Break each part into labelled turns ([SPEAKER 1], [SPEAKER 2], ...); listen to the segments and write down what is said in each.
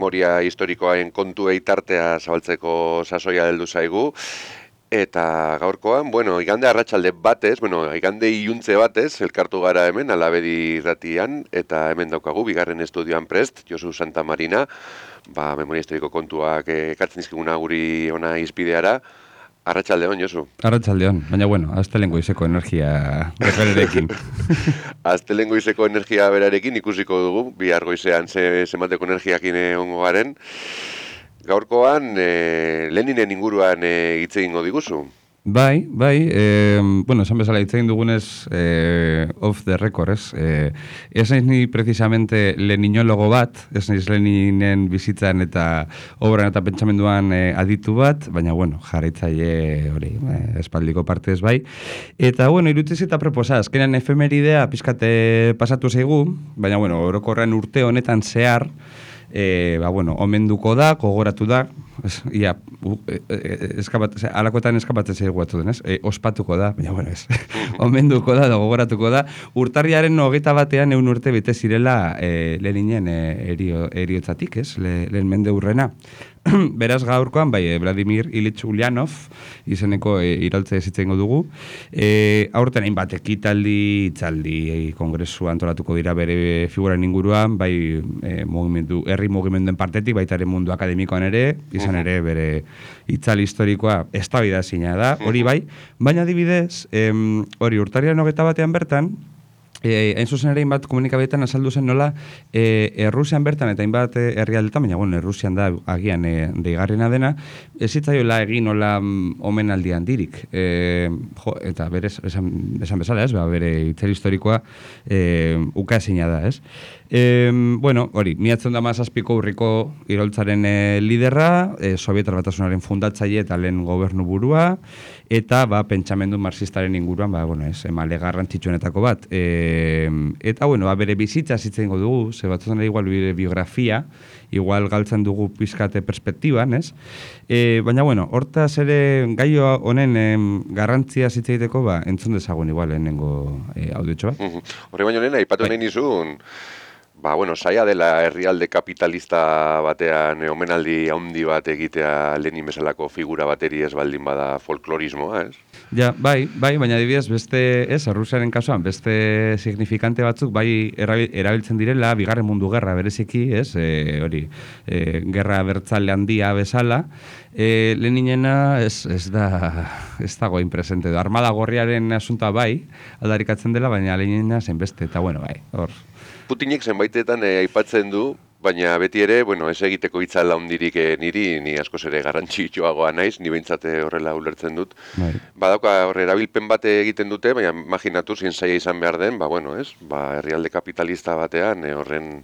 [SPEAKER 1] memoria historikoaren kontuei tartea zabaltzeko sasoia heldu zaigu. Eta gaurkoan, igande arratsalde batez, igande iluntze batez, elkartu gara hemen, Alabedi irratian, eta hemen daukagu, bigarren estudioan prest, Josu Santamarina, memoria historiko kontuak ekartzen dizkiguna guri ona izpideara. Arratsaldeon, Josu.
[SPEAKER 2] Arratsaldeon, baina astelehen goizeko energia berarekin.
[SPEAKER 1] Astelehen goizeko energia berarekin ikusiko dugu, bihar goizean zenbateko energiakin egongo garen. Gaurkoan, Leninen inguruan hitz egingo diguzu.
[SPEAKER 2] Bai, esan bezala hitz egin dugunez off the record, ez? Ez naiz ni precisamente leninologo bat, ez naiz Leninen bizitzan eta obran eta pentsamenduan aditu bat, baina jarraitzaile hori, espaldiko partez bai. Eta irutiz eta proposa, azkenean efemeridea pizkate pasatu zaigu, baina orokorrean urte honetan zehar, omenduko da, gogoratu da, alakoetan eskapatzen zaigu batu denez, ospatuko da, baina ez, omenduko da, gogoratuko da, urtarriaren 21 100 urte bete zirela Leninen eriotzatik, ez, lehen mende hurrena. Beraz gaurkoan, Vladimir Ilich Ulyanov izeneko iraultza ezitzen dugu. Aurten hainbat ekitaldi, itzaldi, kongresu antolatuko dira bere figuran inguruan, herri mugimenduen partetik, baita ere mundu akademikoan ere, izan ere bere itzali historikoa eztabaidazina da, hori bai, baina adibidez, hori urtarriaren 21 bertan, hain zuzen ere hainbat komunikabetan azaldu zen nola Errusian bertan eta hainbat herrialdetan, baina Errusian da agian deigarriena dena, ez zitzaiola egin nola omenaldi handirik. Eta berez, esan bezala ez, bere itzali historikoa ukaezina da, ez? Hori, 1917ko urriko iraultzaren liderra, Sobietar Batasunaren fundatzaile eta lehen gobernu burua, eta pentsamendu marxistaren inguruan, emale garrantzitsuenetako bat. Eta, bere bizitza zitzen dugu, ze batzutan ere igual bere biografia, igual galtzen dugu pizkate perspektiban, ez? Baina, hortaz ere gaio honen garrantzia zitzaiteko, entzun dezagun igual lehenengo audiotxo bat.
[SPEAKER 1] Horri baino lehen, aipatu nahi nizun, saia dela herrialde kapitalista batean omenaldi handi bat egitea Lenin bezalako figura bateri ez baldin bada folklorismoa, ez?
[SPEAKER 2] Ja, baina adibidez beste, Errusiaren kasuan, beste signifikante batzuk erabiltzen direla, bigarren mundu gerra bereziki, hori, gerra abertzale handia bezala, Leninena ez dago inpresente. Armada gorriaren asuntoa aldarikatzen dela, baina Leninena zen beste, eta hor.
[SPEAKER 1] Putinek zenbaitetan aipatzen du, baina beti ere, ez egiteko itzala hundirik niri, ni askoz ere garrantzitsuagoa naiz, ni behintzat horrela ulertzen dut. Badauka horre erabilpen bate egiten dute, baina imaginatu zein zaila izan behar den, herrialde kapitalista batean horren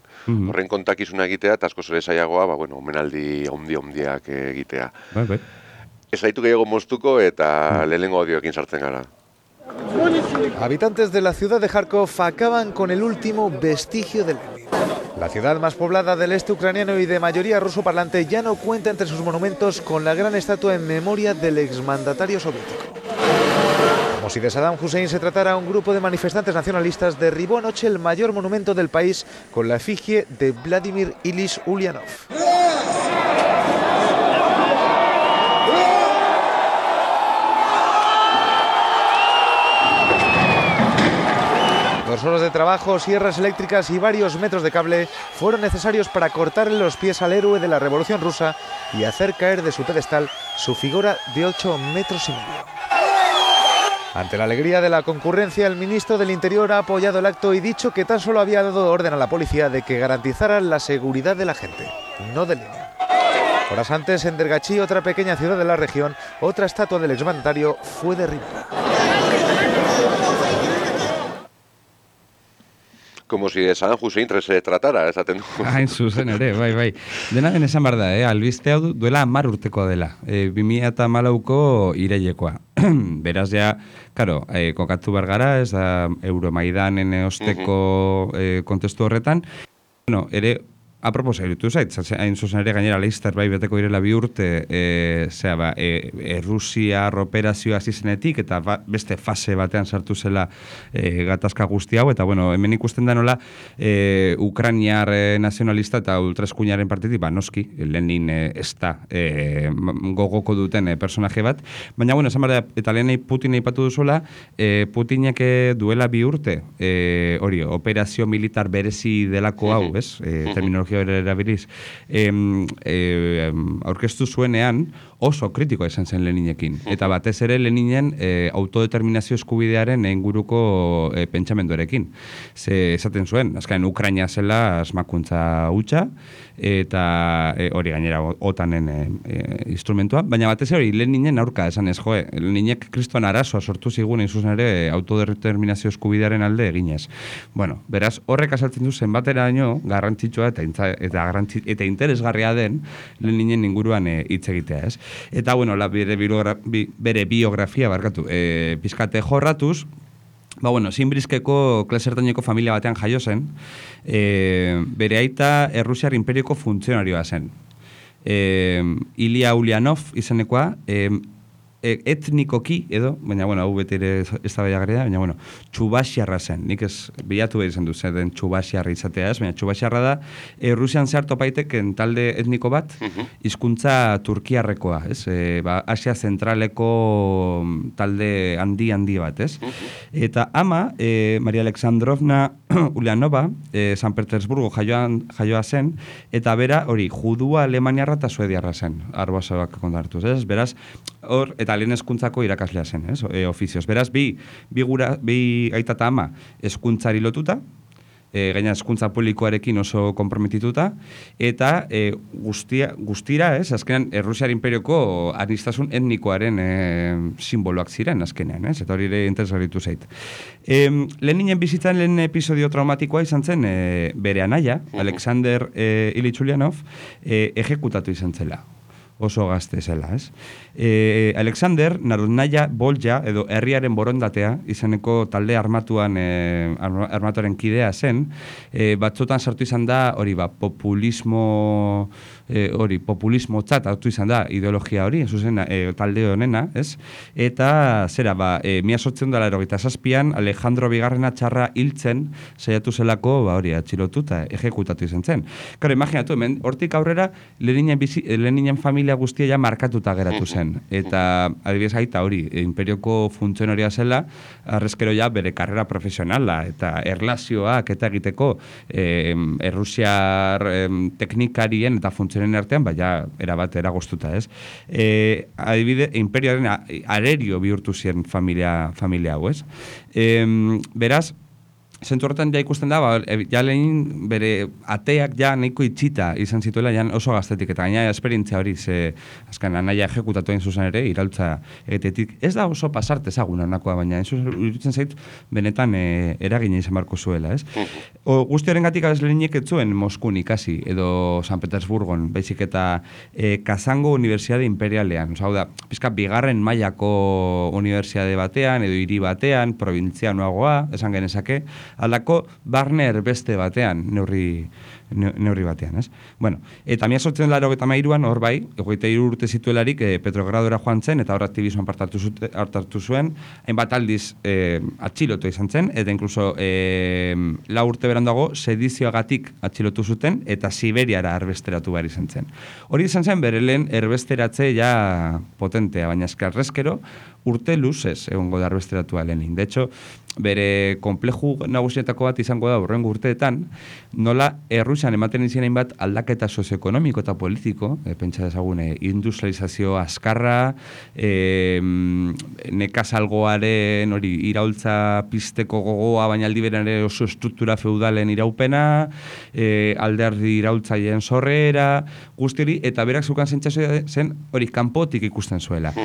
[SPEAKER 1] kontakizuna egitea, eta askoz ere zailagoa, omenaldi handiak egitea. Ez gaitu gehiago moztuko eta lehenengo audioekin sartzen gara.
[SPEAKER 3] Habitantes de la ciudad de Kharkov acaban con el último vestigio de Lenin. La ciudad más poblada del este ucraniano y de mayoría ruso parlante ya no cuenta entre sus monumentos con la gran estatua en memoria del exmandatario soviético. Como si de Saddam Hussein se tratara, un grupo de manifestantes nacionalistas derribó anoche el mayor monumento del país con la efigie de Vladimir Ilich Ulyanov. Dos horas de trabajo, sierras eléctricas y varios metros de cable fueron necesarios para cortarle los pies al héroe de la Revolución Rusa y hacer caer de su pedestal su figura de 8,5 metros. Ante la alegría de la concurrencia, el ministro del Interior ha apoyado el acto y dicho que tan solo había dado orden a la policía de que garantizara la seguridad de la gente, no de Lenin. Horas antes, en Dergachi, otra pequeña ciudad de la región, otra estatua del exmandatario fue derribada.
[SPEAKER 1] Como si de Saddam Hussein se tratara, esaten du.
[SPEAKER 2] Hain zuzen ere, bai. Dena den esan behar da, albiste hau duela 10 urtekoa dela. 2014ko irailekoa. Beraz ja, kokatu behar gara, ez da Euromaidanen osteko kontestu horretan. Ere, apropos erutu zait, hain zuzen ere gainera Leister bai beteko irela 2 urte Rusia operazioa zizenetik eta beste fase batean sartu zela gatazka guzti hau, eta bueno, hemen ikusten da nola Ukrainiar nazionalista eta ultraeskuinaren partitik, noski, Lenin ez da gogoko duten personaje bat, baina bueno, esan bera, eta lehenei Putin aipatu duzuela, Putinek duela 2 urte, hori, operazio militar berezi delako hau, ez? Terminologia erabiliz, aurkeztu zuenean oso kritikoa izan zen Leninekin. Eta batez ere Leninen autodeterminazio eskubidearen inguruko pentsamenduarekin. Ze esaten zuen, azkaren Ukraina zela asmakuntza hutsa, eta hori gainera OTANen instrumentua, baina batez ere Leninen aurka esan ez, Leninek kriston arazoa sortu zigun zuzen ere autodeterminazio eskubidearen alde eginez. Bueno, beraz, horrek azaltzen du zenbateraino garrantzitsua eta interesgarria den Leninen inguruan hitz egitea, ez? Eta, bueno, bere biografia, pizkate jorratuz, bueno, Zinbrizkeko klase ertaineko familia batean jaio zen, bere aita Errusiar imperioko funtzionarioa zen. Ilya Ulyanov izenekoa, etnikoki edo, baina, bueno, hau beti ere ez da baiagarria, baina, bueno, txubaxiarra zen. Nik ez bilatu behar izan du zen txubaxiarra izatea ez, baina txubaxiarra da, Rusian zehar topaiteken talde etniko bat, hizkuntza turkiarrekoa, ez? Asia zentraleko talde handi bat, ez? Eta ama, Maria Alexandrovna Ulyanova, San Petersburgo jaioa zen, eta bera, hori, judua alemaniarra eta suediarra zen, arboazabak kontartuz, ez? Beraz, hor, eta lehen hezkuntzako irakaslea zen, ofizioz. Beraz, bi aita eta ama hezkuntzari lotuta, gaina hezkuntza publikoarekin oso konprometituta, eta guztira, azkenean, Errusiar imperioko aniztasun etnikoaren simboloak ziren, azkenean, eta hori ere interesgarritu zait. Leninen bizitzan lehen episodio traumatikoa izan zen bere anaia, Alexander Ilyich Ulyanov, ejekutatu izan zela. Oso gazte zela, ez? Alexander Narodnaya Bolja, edo herriaren borondatea, izeneko talde armatuaren kidea zen, batzotan sartu izan da, hori populismo tzat hartu izan da ideologia hori, zuzen talde honena, ez? Eta, zera, 1887an Alejandro Bigarrena txarra hiltzen saiatu zelako, hori, atxilotu eta ejekutatu izan zen. Karo, imaginatu, hemen, hortik aurrera, Leninen familia guztia ja markatuta geratu zen. Eta, adibidez aita hori, imperioko funtzionaria zela, arrezkero ja bere karrera profesionala eta erlazioak eta egiteko Errusiar teknikarien eta funtzionen artean, erabat eragoztuta, ez? Adibide, imperioaren arerio bihurtu ziren familia hau, ez? Beraz, zentzu horretan ja ikusten da, ja lehin bere ateak ja nahiko itxita izan zituela ja oso gaztetik, eta gaina esperientzia hori, azken anaia ejekutatu egin zuzen ere, iraultza egetetik. Ez da oso pasarte ezagun anakoa, baina iruditzen zait benetan eragina izan barko zuela, ez? Guzti horren gatik Leninek ez zuen Moskun ikasi, edo San Petersburgon, baizik eta Kazango Unibertsiade Imperialean, hau da, pizka bigarren mailako unibertsiade batean, edo hiri batean, probintzianoagoa, esan genezake, aldako barner beste batean, neurri batean, ez? Bueno, eta 1883an hor bai, 23 urte zituelarik Petrogradora joan zen, eta hor aktibismoan hartu zuen, hainbat aldiz atxilotu izan zen, eta inkluso 4 urte berandago sedizioagatik atxilotu zuten, eta Siberiara erbesteratu behar izan zen. Hori izan zen, bere lehen erbesteratze ja potentea, baina eskarrezkero urte luzez egongo da erbesteratua Lenin. De hecho, bere konpleju nagusietako bat izango da hurrengo urteetan, nola Errusian ematen izan hainbat aldaketa sozioekonomiko eta politiko, pentsa desagune, industrializazio azkarra, nekazalgoaren hori iraultza pizteko gogoa, baina aldi beran ere oso estruktura feudalen iraupena, alderdi iraultzaileen sorrera, guzti hori, eta berak zukan zentzazioa zen hori kanpotik ikusten zuela.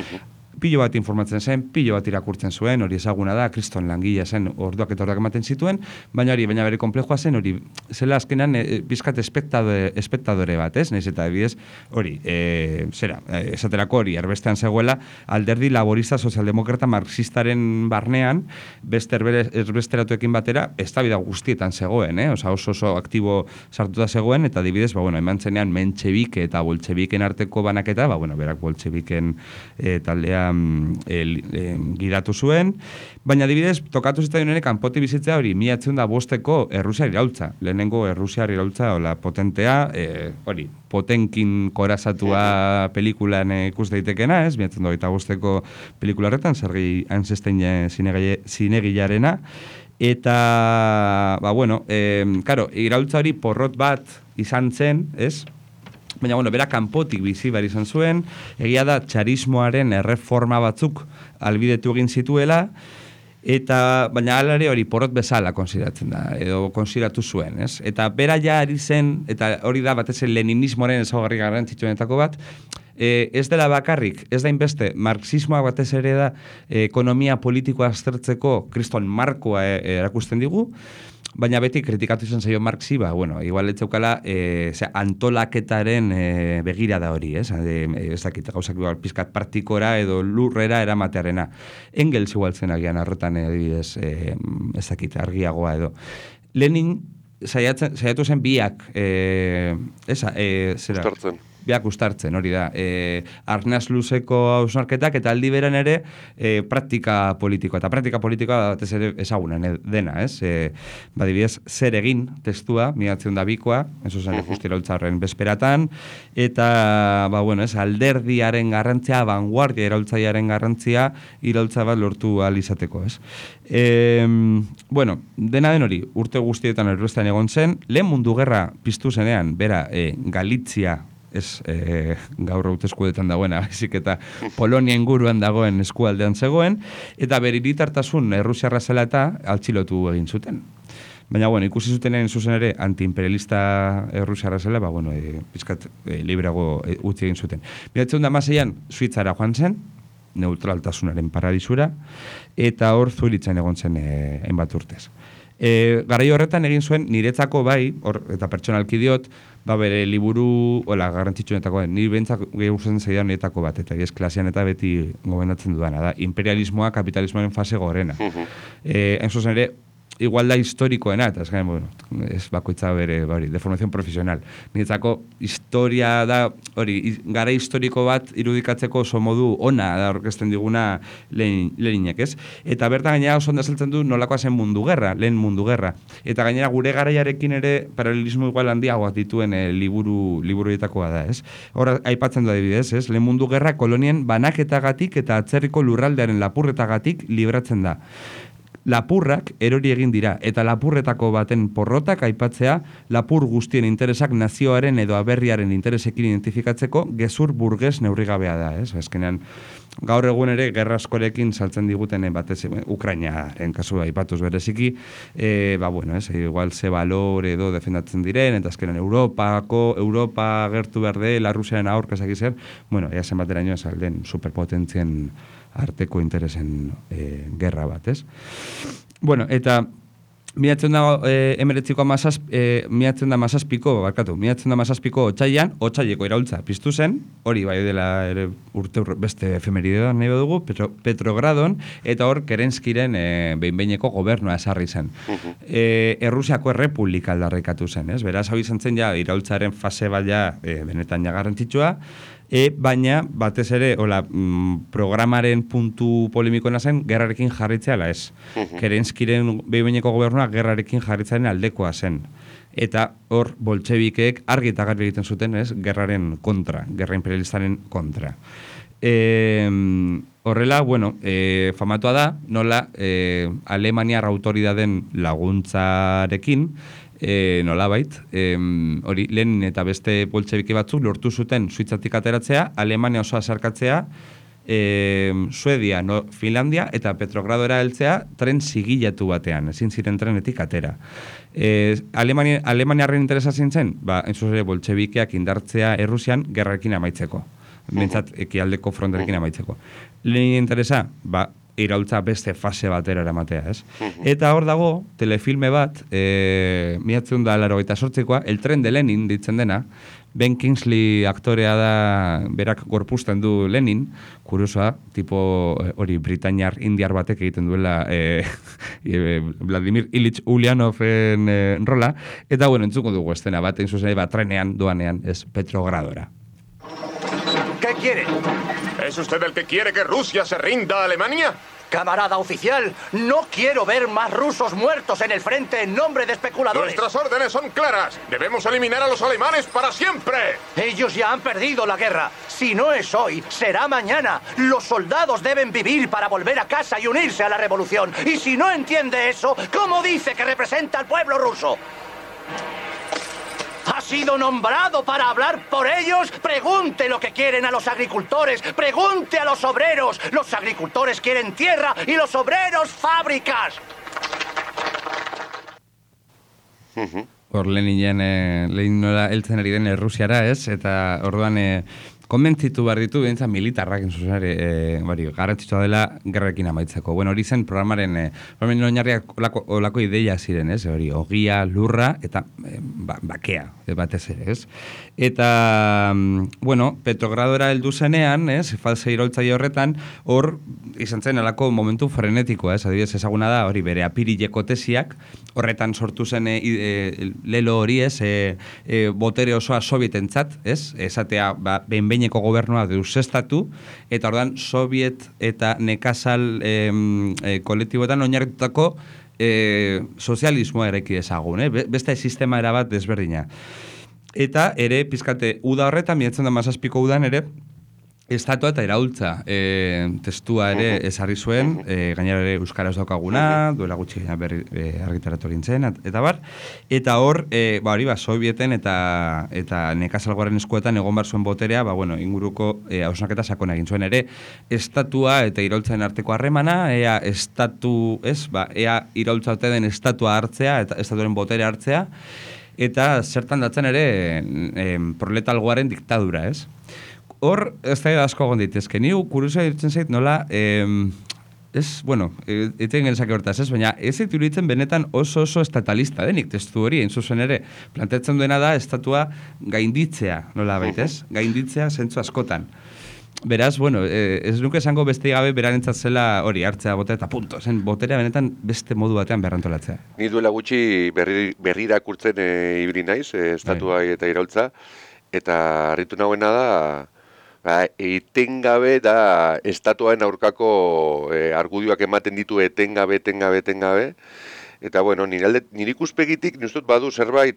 [SPEAKER 2] pilo bat informatzen zen, pilo bat irakurtzen zuen, hori ezaguna da, kriston langilea zen, orduak eta orduak ematen zituen, baina bere komplejua zen, hori, zela azkenan bizkat espektadore bat, ez? Naiz eta bidez, hori, esaterako hori, erbestean zegoela, alderdi laborista sozialdemokrata marxistaren barnean, beste erbesteratuekin batera, eztabaida guztietan zegoen, oso aktibo sartuta zegoen, eta adibidez, eman zenean mentxebike eta boltxebiken arteko banaketa, berak boltxebiken taldean giratu zuen, baina adibidez, tokatu zitzaioen kanpoti bizitzea hori, 1905ko Errusiar iraultza, lehenengo Errusiar iraultza, potentea, hori, Potenkin korazatua pelikulan ikus daitekena, 1905ko pelikula horretan, Sergei Eisenstein zinegilarena, eta, karo, iraultza hori porrot bat izan zen, ez? Baina, bera kanpotik bizi behar izan zuen, egia da txarismoaren erreforma batzuk albidetu egin zituela, baina alare hori porrot bezala konsideratzen da, edo konsideratu zuen, ez? Eta bera ja ari zen, eta hori da batez leninismoaren ezaugarri garrantzitsuenetako bat, ez dela bakarrik, ez da inbeste, marxismoa batez ere da ekonomia politikoa aztertzeko kriston markoa erakusten digu, baina beti kritikatu izan zaio Marxi, igual etzeukala antolaketaren begirada hori, ez dakit, gauzak pizkat praktikora edo lurrera eramatearena. Engels igual zen agian horretan adibidez, ez dakit, argiagoa edo. Lenin saiatu zen biak, biak ustartzen, hori da. Arnaz luzeko hausnarketak eta aldi beran ere praktika politikoa. Eta praktika politikoa batez ere ezagunen dena, ez? Badibidez, zer egin testua, 1902koa, eso zen justi iraultzaren bezperatan, eta, alderdiaren garrantzia, vanguardia iraultzaiaren garrantzia, iraultza bat lortu ahal izateko, ez? Dena den hori, urte guztietan erbestean egon zen, lehen mundu gerra piztu zenean, bera, Galizia, ez gaur hauteskudetan dagoena, baizik eta Polonia inguruan dagoen eskualdean zegoen, eta bere hiritartasun errusiarra zela eta altxilotu egin zuten. Baina, ikusi zutenen zuzen ere antiimperialista errusiarra zela, pizkat libreago utzi egin zuten. 1916an Suitzara joan zen, neutraltasunaren paradisura, eta hor Zuritzen egon zen hainbat urtez. Garai horretan egin zuen niretzako eta pertsonalki diot, bere liburu, garrantzitsuenetako, nire bentzak gehuzen zeidan niretako bat, eta ez klasean eta beti gomendatzen dudana, da, imperialismoa, kapitalismoaren fase gorena. Enzozen ere, igual da historikoena, eta ez bakoitza bere, de formación profesional. Niretzako historia da, gara historiko bat irudikatzeko oso modu ona da orkesten diguna Leninek, ez? Eta bertan gainera oso ondazaltzen du nolakoa zen mundu gerra, lehen mundu gerra. Eta gainera gure garaiarekin ere paralelismo igual handiagoak dituen liburuetakoa da, ez? Hor aipatzen du adibidez, ez? Lehen mundu gerra kolonien banaketagatik eta atzerriko lurraldearen lapurretagatik libratzen da. Lapurrak erori egin dira, eta lapurretako baten porrotak aipatzea lapur guztien interesak nazioaren edo aberriaren interesekin identifikatzeko gezur burges neurrigabea da, ez? Azkenean, gaur egun ere gerra askorekin saltzen diguten batez Ukrainaren kasua aipatuz bereziki, igual ze valor edo defendatzen diren, eta azkenean Europa gertu behar dela, Rusiaren aurka ezak izan, ea zenbateraino esalden superpotentzien arteko interesen gerra bat, ez? Eta 1917ko otsaileko iraultza piztu zen, hori bai dela ere urte beste efemeridean nahi dugu, Petrogradon, eta hor Kerenskiren behin-behineko gobernua esarri zen. Errusiako errepublika aldarrikatu zen, ez? Beraz, hau izan zen iraultzaren fase bat benetan garrantzitsua, baina batez ere programaren puntu polemikoena zen gerrarekin jarritzea ez. Kerenskiren behin-behineko gobernua gerrarekin jarritzearen aldekoa zen. Eta hor boltxebikeek argi eta garbi egiten zuten, ez, gerraren kontra, gerra imperialistaren kontra. Horrela, famatua da, nola Alemaniar autoridaden laguntzarekin, nolabait, hori Lenin eta beste boltxebike batzuk lortu zuten Suitzatik ateratzea, Alemania osoa sarkatzea, Suedia, Finlandia eta Petrogradora heltzea tren zigilatu batean, ezin ziren trenetik atera. Alemaniarren interesa zintzen, entzuz ere boltxebikeak indartzea Errusian gerrarekin amaitzeko. bentsat ekialdeko fronterekin amaitzeko. Lenin interesa, iraultza beste fase batera eramatea, ez? Eta hor dago, telefilme bat, 1988koa, El tren de Lenin, ditzen dena, Ben Kingsley aktorea da, berak gorpuzten du Lenin, kuriosoa, tipo hori Britainiar indiar batek egiten duela Vladimir Ilich Ulyanoven rola, eta bueno, entzuko dugu estena bat, zuzen trenean, doanean, ez Petrogradora.
[SPEAKER 4] ¿Qué quiere?
[SPEAKER 5] ¿Es usted el que quiere que Rusia se rinda a Alemania?
[SPEAKER 4] Camarada oficial, no quiero ver más rusos muertos en el frente en nombre de especuladores.
[SPEAKER 5] Nuestras órdenes son claras. Debemos eliminar a los alemanes para siempre.
[SPEAKER 4] Ellos ya han perdido la guerra. Si no es hoy, será mañana. Los soldados deben vivir para volver a casa y unirse a la revolución. Y si no entiende eso, ¿cómo dice que representa al pueblo ruso? ¿Ha sido nombrado para hablar por ellos? Pregunte lo que quieren a los agricultores. Pregunte a los obreros. Los agricultores quieren tierra y los obreros fábricas.
[SPEAKER 2] Hor Lenin nola heltzen ari den Errusiara, ez? Eta orduan konbentzitu behar ditu, bentsa militarrak entzuzare, garrantzitsua dela gerrekin amaitzeko. Bueno, hori zen programaren oinarriak olako ideia ziren, ez? Hori, ogia, lurra eta bakea, batez ere, ez? Eta, bueno, Petrogradora heldu zenean, ez? False iraultzaile horretan, hor izan zen alako momentu frenetikoa, ez? Adibidez ezaguna da, hori bere apirileko tesiak, horretan sortu zen lelo hori, ez? Botere osoa sovietentzat, ez? Esatea, behinbeineko gobernua deusestatu, eta ordan soviet eta nekazal kolektiboetan oinarritutako sozialismoa eraiki dezagun, beste sistema erabat desberdina. Eta ere, pizkate, uda horretan, 1917ko udan ere, estatua eta iraultza testua ere ezarri zuen, gainera ere euskaraz daukaguna, duela gutxi argitaratu gintzen, eta bar, eta hor, hori sovieten eta nekazalgoaren eskuetan egon bar zuen boterea, inguruko hausnaketa sakona egin zuen ere, estatua eta iraultzaren arteko harremana, ea iraultza ote den estatua hartzea, eta estatuaren boterea hartzea, eta zertan datzen ere proletalgoaren diktadura, ez? Hor, ez da asko egon daitezke. Ni kuriosoa ditzen zait nola, eten genezake hortaz, ez? Baina ez zait iruditzen benetan oso estatalista denik testu hori, zuzen ere, planteatzen duena da estatua gainditzea, nola baitez? Gainditzea zentzu askotan. Beraz, ez nuke esango beste gabe berarentzat zela hori hartzea botea eta punto. Zen boterea benetan beste modu batean berrantolatzea.
[SPEAKER 1] Ni duela gutxi berri irakurtzen ibili naiz, estatua eta iraultza, eta harritu nagoena da, etengabe da estatuaren aurkako argudioak ematen ditu etengabe, eta nire ikuspegitik nizut badu zerbait,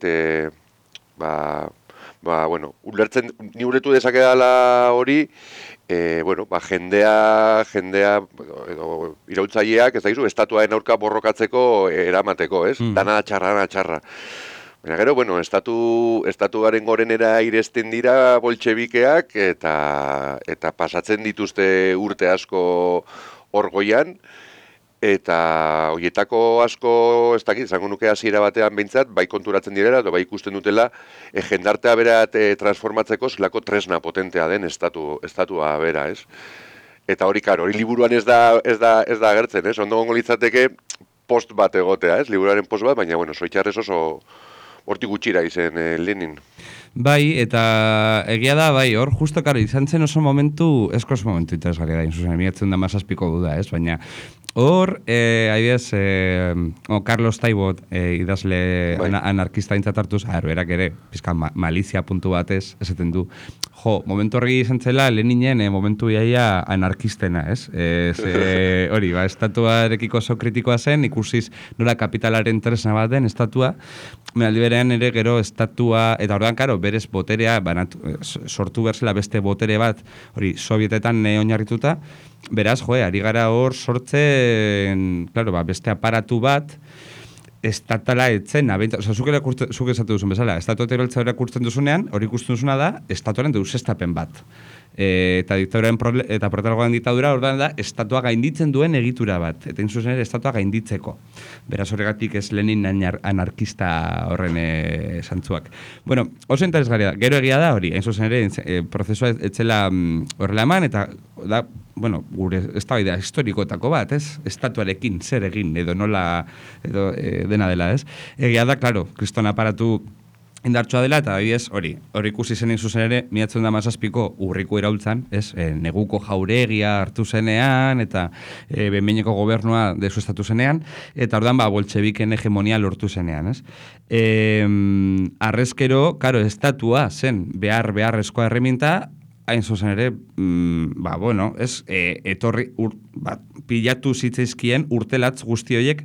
[SPEAKER 1] ulertzen, ni ulertu dezakedala hori, jendea iraultzaileak, ez daizu, estatuaren aurka borrokatzeko eramateko, ez? Dana txarra. Baina gero, estatuaren gorenera iresten dira boltxebikeak eta pasatzen dituzte urte asko orgoian, eta horietako asko, ez dakit, zango nuke hasiera batean behintzat, bai konturatzen direla, bai ikusten dutela, jendartea berat transformatzeko zelako tresna potentea den estatua bera, ez? Eta hori, hori liburuan ez da agertzen, ez? Ondo gongo litzateke post bat egotea, ez? Liburuaren post bat, baina, zoitxarrez oso hortik gutxira izen Lenin.
[SPEAKER 2] Bai, eta egia da, hor justo, izan zen oso momentu, eskos momentu interesgarria da, inzuzen, miratzen da mazazpiko duda, ez? Baina, hor, adibidez, Carlos Taibot, idazle anarkista intzatartuz, berak ere, pizka malizia puntu batez, esaten du, momentu horregi izan zela, Leninen momentu iaia anarkistena, ez? Hori, estatuarekiko oso kritikoa zen, ikusiz nola kapitalaren tresna bat den estatua, aldi berean ere gero estatua, eta orduan, berez boterea, sortu berzela beste botere bat, hori, sovietetan oinarrituta, beraz, ari gara hor sortzen, beste aparatu bat, estatala etzen, zuk esatu duzun bezala, estatuak eroltza irakurtzen duzunean, hori ikusten duzuna da, estatuaren deusestapen bat. Eta proletariagoaren diktadura ordan da estatua gainditzen duen egitura bat, eta zuzen ere estatua gainditzeko. Beraz horregatik ez Lenin anarkista horren zantzuak. Bueno, oso interesgarria da. Gero egia da hori, zuzen ere prozesua etzela horrela eman, eta da, bueno, gure eztabaida historikoetako bat, ez? Estatuarekin zer egin edo nola edo dena dela, ez? Egia da, claro, kriston aparatu indartsua dela, eta adibidez, hori ikusi zen zuzen ere, 1917ko urriko iraultzan, ez, neguko jauregia hartu zenean, eta behin-behineko gobernua desuestatu zenean, eta ordan boltxebiken hegemonia lortu zenean, ez. Arrezkero, karo, estatua zen beharrezkoa erreminta, hain zuzen ere, etorri, pilatu zitzaizkien urtelatz guzti horiek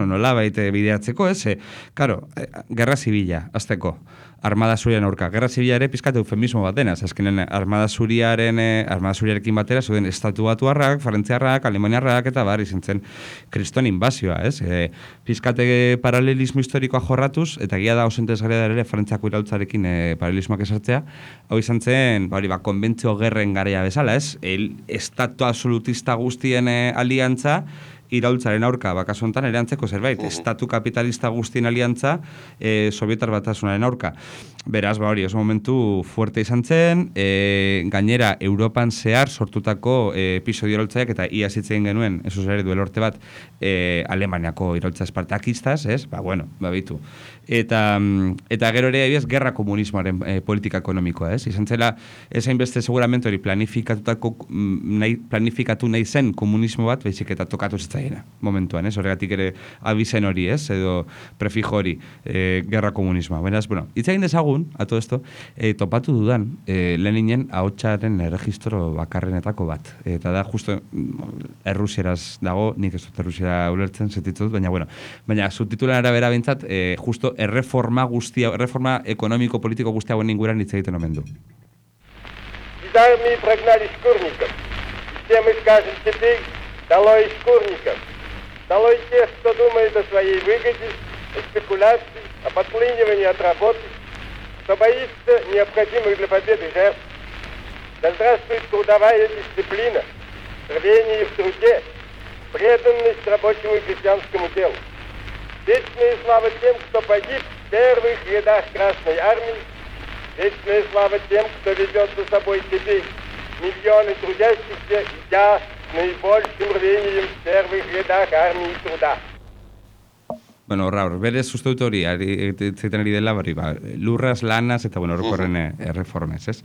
[SPEAKER 2] nola baita bideatzeko, ez? Karo, gerra zibila, azteko, armada zuriaren aurka. Gerra zibila ere pizkat eufemismo bat denaz, azkenen armada zuriarekin batera, zuden estatu batuarrak, frantziarrak, alemaniarrak, eta izan zen kriston inbazioa, ez? Pizkate paralelismo historikoa jorratuz, eta gila da osentezgarria da ere frantziako iraultzarekin paralelismoak esartzea, hau izan zen, konbentzio gerren garaia bezala, ez? Estatu absolutista guztien aliantza, iraultzaren aurka, bakasu honetan erantzeko zerbait, estatu kapitalista guztien aliantza, Sobietar Batasunaren aurka. Beraz, oso momentu fuerte izan zen, gainera, Europan zehar sortutako episodio iraultzaiak, eta ia zitzen genuen, eso ere duela urte bat, Alemaniako iraultza espartakistaz, ez? Bitu. Eta gero ere, gerra komunismoaren politika ekonomikoa, ez? Izan zela, ezain beste seguramente hori planifikatu nahi zen komunismo bat, baizik eta tokatu zitzaiena, momentuan, ez? Horregatik ere abizen hori, ez? Edo prefijo hori, gerra komunismoa. Beraz, hitz egin dezagun, a todo esto, topatu dudan, Leninen ahotsaren registro bakarrenetako bat. Eta da, justo, errusieraz dago, nik ez dut errusiera ulertzen, zetitzut, baina subtitulan arabera bintzat, justo erreforma ekonomiko-politiko guztia hauen inguran hitz egiten omen du.
[SPEAKER 6] Из армии прогнали шкурников. Все мы скажем теперь: долой шкурников. Долой тех, кто думает о своей выгоде, о спекуляции, о подклинивании от работы, кто боится необходимых для победы жертв. Да здравствует трудовая дисциплина, рвение в труде, преданность рабочему и крестьянскому делу. Вечная слава тем, кто погиб в первых рядах Красной Армии. Вечная слава тем, кто ведет за собой теперь миллионы трудящихся, идя с наибольшим рвением в первых рядах армии труда.
[SPEAKER 2] Berez uste dut hori, zeiten ari dela, lurraz, lanaz, eta horrekorren erreformez, ez?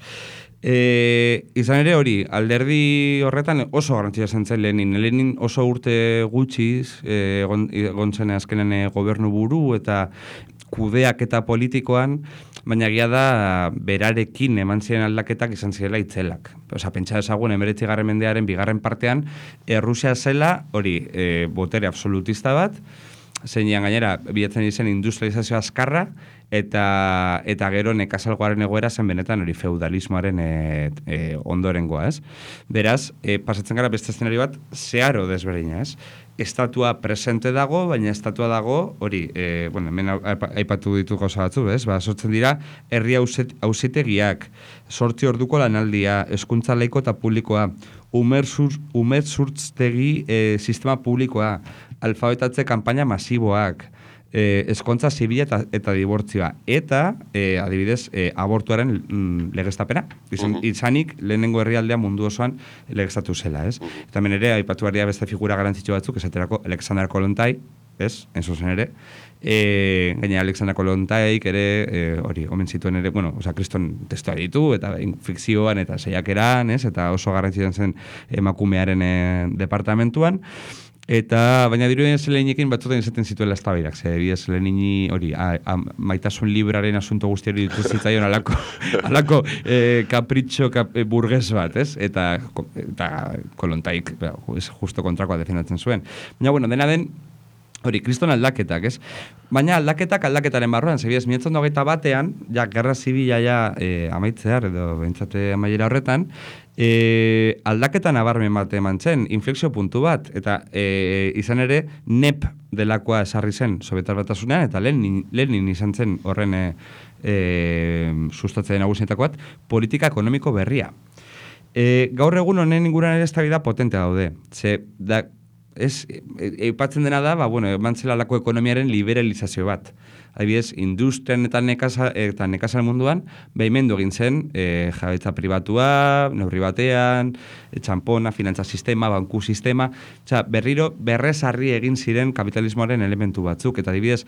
[SPEAKER 2] Izan ere hori, alderdi horretan oso garrantzia zen Lenin oso urte gutxiz, egon zen azkenen gobernu buru, eta kudeak eta politikoan, baina egia da berarekin eman ziren aldaketak izan zirela itzelak. Pentsa ezagun 19. mendearen bigarren partean, Errusia zela, hori, botere absolutista bat, zeinean gainera, bilatzen izen industrializazio azkarra, eta gero nekazalgoaren egoera zen benetan hori feudalismoaren ondorengoa, ez? Beraz, pasatzen gara beste eszenario bat, zeharo desberdina, ez? Estatua presente dago, baina estatua dago, hori, hemen aipatu ditu gauza batzu, ez? Sortzen dira, herri auzitegiak, 8 orduko lanaldia, hezkuntza laiko eta publikoa, umerzurtztegi sistema publikoa, alfabetatze kanpaina masiboak, eskontza zibila eta dibortzioa, eta, adibidez, abortuaren legeztapena. Izanik, lehenengo herrialdea mundu osoan legeztatu zela, ez? Eta hemen ere, aipatu behar beste figura garantzitsu batzuk, esaterako Alexander Kollontai, ez? Enzuzen ere. Gaina Alexander Kollontaik ere, hori, omen zituen ere, kriston testua ditu, eta fikzioan, eta saiakeran, ez? Eta oso garrantzituen zen emakumearen departamentuan. Eta, baina dirudien Leninekin batzutan izaten zituela eztabaidak, bidez Lenini hori, maitasun libraren asunto guztiari dituzitzaion alako kapritxo burgues bat, ez? Eta Kollontaik justo kontrakoa defendatzen zuen. Baina, dena den, Hori, kriston aldaketak, ez? Baina aldaketaren barruan, zebiez, 1921, ja, gerra zibila ja amaitzear, edo bentsate amaiera horretan, aldaketa nabarmen bat eman zen, inflexio puntu bat, eta izan ere, NEP delakoa esarri zen Sobietar Batasunean, eta Lenin izan zen horren sustatzen nagusietako bat, politika ekonomiko berria. Gaur egun honen inguruan ere eztabaida potente daude. Eipatzen dena da, emantzelalako ekonomiaren liberalizazio bat. Adibidez, industrian eta nekazal munduan, behimendu egin zen, jabetza pribatua, neurri batean, txampona, finantza sistema, banku sistema, berriro berrezarri egin ziren kapitalismoaren elementu batzuk, eta adibidez,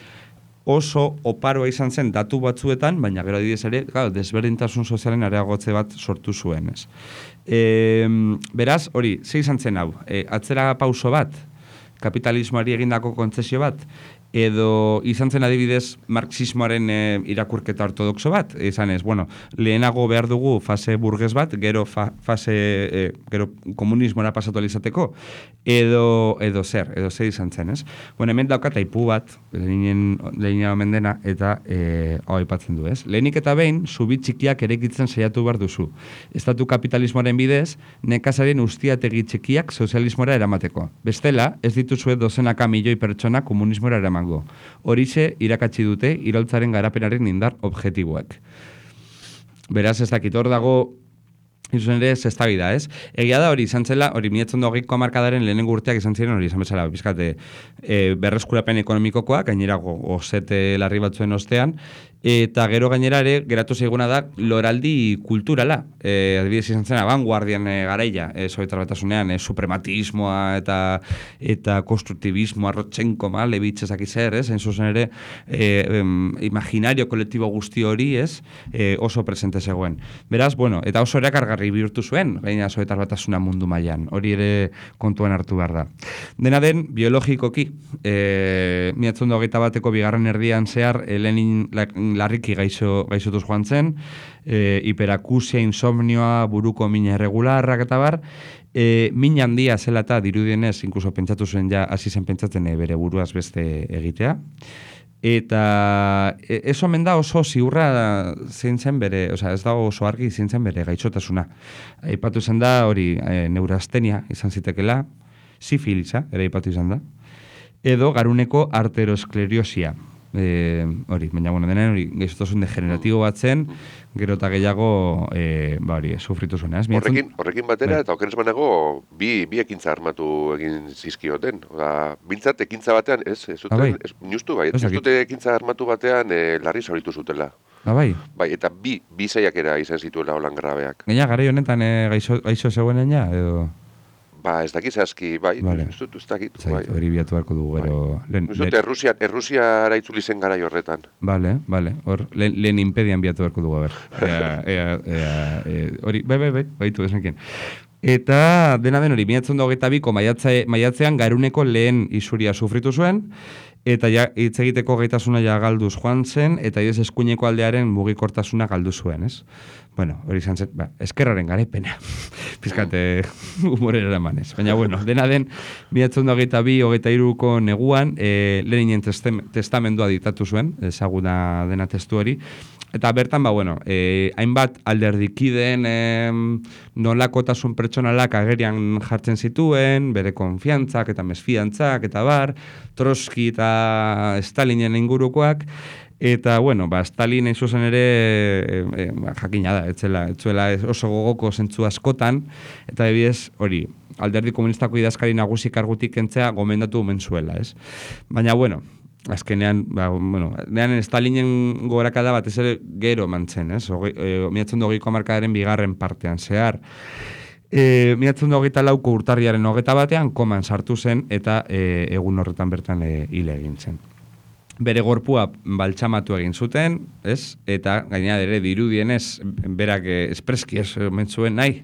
[SPEAKER 2] oso oparoa izan zen datu batzuetan, baina gero adibidez ere, desberdintasun sozialen areagotze bat sortu zuen, ez. Beraz, hori, ze izan zen hau? Atzera pauso bat, kapitalismoari egindako kontzesio bat, edo izan zen adibidez marxismoaren irakurketa ortodoxo bat, izan ez, lehenago behar dugu fase burges bat, gero gero komunismora pasatu alizateko, edo zer izan zen, ez? Hemen daukat aipu bat, Lenina omen dena, eta hau aipatzen du, ez? Lehenik eta behin, zubi txikiak erekitzen saiatu behar duzu. Estatu kapitalismoaren bidez, nekazarien ustiategi txikiak sozialismora eramateko. Bestela, ez dituzue dozenaka milioi pertsona komunismora eramateko. Horixe irakatsi dute iraultzaren garapenaren indar objektiboek. Beraz, ez dakit hor dago izan ere eztabaida, ez? Egia da hori izan zela, hori 1920ko hamarkadaren lehenengo urteak izan ziren hori izan bezala, bizkate berreskurapen ekonomikokoak, gainera osete larri batzuen ostean, eta gero gainera ere geratu zaiguna da loraldi kulturala. Adibidez izan zen abanguardian garaia, Sobietar Batasunean, suprematismoa eta konstruktibismoa, Rodchenko, Malevich, ezak zer, ez? Hain zuzen ere, imaginario kolektibo guzti hori, ez? Oso presente zegoen. Beraz, eta oso erakargarri bihurtu zuen, gaina Sobietar Batasuna mundu mailan. Hori ere kontuan hartu behar da. Dena den, biologikoki, 1921ko bigarren erdian zehar, Lenin larriki gaixotuz joan zen, hiperakusia, insomnioa, buruko mina irregularrak eta bar, min handia zela eta dirudienez, inkluso pentsatu zuen ja, hasi zen pentsatzen bere buruaz beste egitea. Eta ez omen da oso ziurra zein zen bere, ez da oso argi zein zen bere gaixotasuna. Aipatu zen da hori neurastenia izan zitekela, sifilisa, ere aipatu izan da, edo garuneko arteroskleriosia. Baina denen hori gaixotasun degeneratibo bat zen, gero eta gehiago sufritu zuen.
[SPEAKER 1] Horrekin batera, eta okeres banago, bi ekintza armatu egin zizkioten. Bintzat ekintza batean, ez dute ekintza armatu batean larri zauritu zutela.
[SPEAKER 2] Bai,
[SPEAKER 1] eta bi saiakera izan zituela holan grabeak.
[SPEAKER 2] Gaina, garai honetan gaixo zegoenen ja, edo...
[SPEAKER 1] Ez dakit zehazki, ez dakit.
[SPEAKER 2] Hori biatu beharko dugu, gero...
[SPEAKER 1] Errusiara itzuli zen garai horretan.
[SPEAKER 2] Bale, hor, lehen impedian biatu beharko dugu, hori, baitu, esanken. Eta, dena den hori, 1922ko maiatzean garuneko lehen isuria sufritu zuen, eta hitz egiteko gaitasuna galduz joan zen, eta eskuineko aldearen mugikortasuna galdu zuen, ez? Hori izan zen, eskerraren garepena. Pizkate humorera eramanez. Baina, dena den, 1922-23ko neguan, Leninen testamendua ditatu zuen, ezaguna dena testu hori, eta bertan, hainbat alderdikideen nolakotasun pertsonalak agerian jartzen zituen, bere konfiantzak eta mesfidantzak eta bar, Trotsky eta Stalinen ingurukoak, eta, Stalin hain zuzen ere, jakina da, etzuela oso gogoko zentzu askotan, eta ebiez, hori, alderdi komunistako idazkari nagusi kargutik kentzea gomendatu menzuela, ez? Baina, azkenean, nean Stalinen gogorakada bat ez ere gero mantzen, ez? 1920ko hamarkadaren bigarren partean zehar. 1924ko urtarriaren 21 koman sartu zen eta egun horretan bertan hil egin zen. bere gorpua baltsamatu egin zuten, ez? Eta gainera ere dirudienez berak espreski ez omen zuen nahi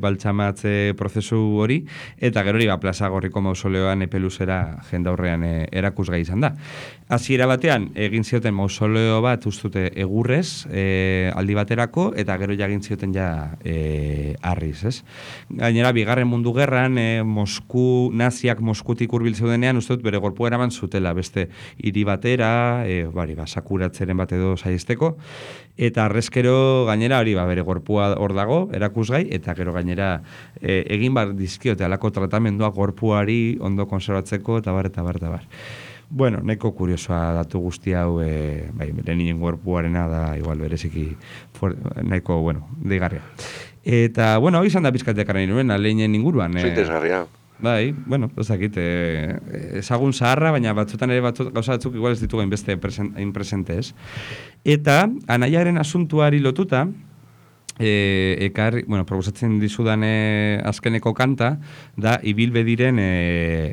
[SPEAKER 2] baltsamatze prozesu hori, eta gero hori Plaza Gorriko mausoleoan epeluzera jendaurrean erakusgai izan da. Hasiera batean egin zioten mausoleo bat ustute egurrez aldi baterako, eta gero ja egin zioten ja harriz, ez? Gainera Bigarren Mundu Gerran naziak Moskutik hurbil zeudenean uste dut bere gorpua eraman zutela beste hiri batera, sakuratzeren bat edo saiesteko, eta arrezkero gainera hori bere gorpua hor dago, erakusgai, eta gero gainera egin bar dizkiote alako tratamendua gorpuari ondo konservatzeko, eta bar. Bueno, nahiko kuriosoa datu guzti hau, Leninen gorpuarena da, igual bereziki, nahiko, deigarria. Eta, hau izan da pizkatekarren iruen, Leninen inguruan.
[SPEAKER 1] Zoitezgarria.
[SPEAKER 2] Bai, ezakit, ezagun zaharra, baina batzutan ere gauza batzuk igual ez ditugu hainbeste presente, ez? Eta, anaiaren asuntuari lotuta, proposatzen dizudan azkeneko kanta, da ibilbediren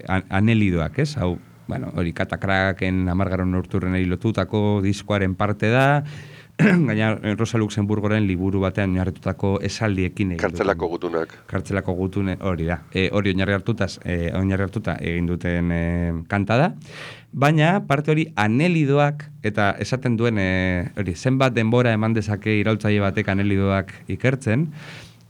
[SPEAKER 2] anelidoak, ez? Hau, hori Katakraken 10. urturrenari lotutako diskoaren parte da, gaina Rosa Luxemburgoren liburu batean oinarritutako esaldiekin egin.
[SPEAKER 1] Kartzelako gutunak.
[SPEAKER 2] Kartzelako gutune hori da. Hori oinarri hartuta egin duten kanta da. Baina parte hori anelidoak, eta esaten duen hori zenbat denbora eman dezake iraultzaile batek anelidoak ikertzen,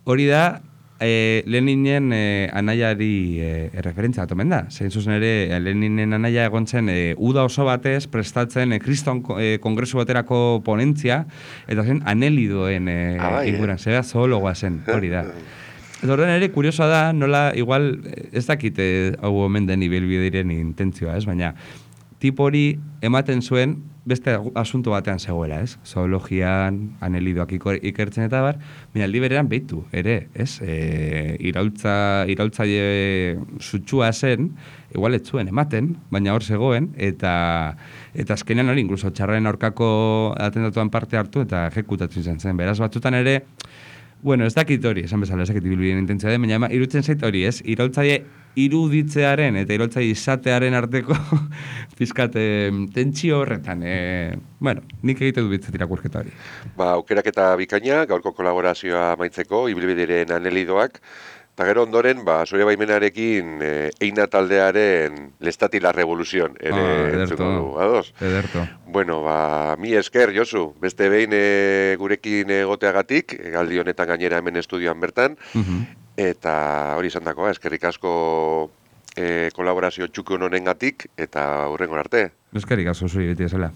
[SPEAKER 2] hori da Leninen anaiari referentzia bat omen da. Zein zuzen ere, Leninen anaia egon zen uda oso batez prestatzen Kriston kongresu baterako ponentzia, eta zen anelidoen inguran, zera zoologoa zen, hori da. Eta horren ere, kuriosoa da, nola, igual, ez dakit hau omen den ibilbideiren intentzioa, ez? Baina, tipo hori ematen zuen beste asunto batean zegoela, ez? Zoologian, anelidoak ikertzen eta bar, baina aldi berean behitu, ere, ez? Iraultzaile sutsua zen, igual ez zuen ematen, baina hor zegoen, eta azkenean hori, inkluso txarraren aurkako atentatuan parte hartu, eta ejekutatzen zen. Beraz, batzutan ere, ez dakit hori, esan bezala, ez dakit ibilbideen intentzia den, baina irutzen zait hori, ez? Iraultzaile iruditzearen eta iraultzaile izatearen arteko pizkat tentsio horretan. Nik egite du bitzat irakurketa hori.
[SPEAKER 1] Aukeraketa bikaina, gaurko kolaborazioa amaitzeko, ibilbideren anelidoak, eta gero ondoren, Soria baimenarekin Eina taldearen Lestati la Revolución.
[SPEAKER 2] Ederto.
[SPEAKER 1] Mi esker, Josu, beste behin gurekin egoteagatik, galdi honetan gainera hemen estudioan bertan, eta hori izan dakoa, eskerrik asko kolaborazio txukun honengatik, eta hurrengo arte.
[SPEAKER 2] Eskerrik asko zuri beti ezela.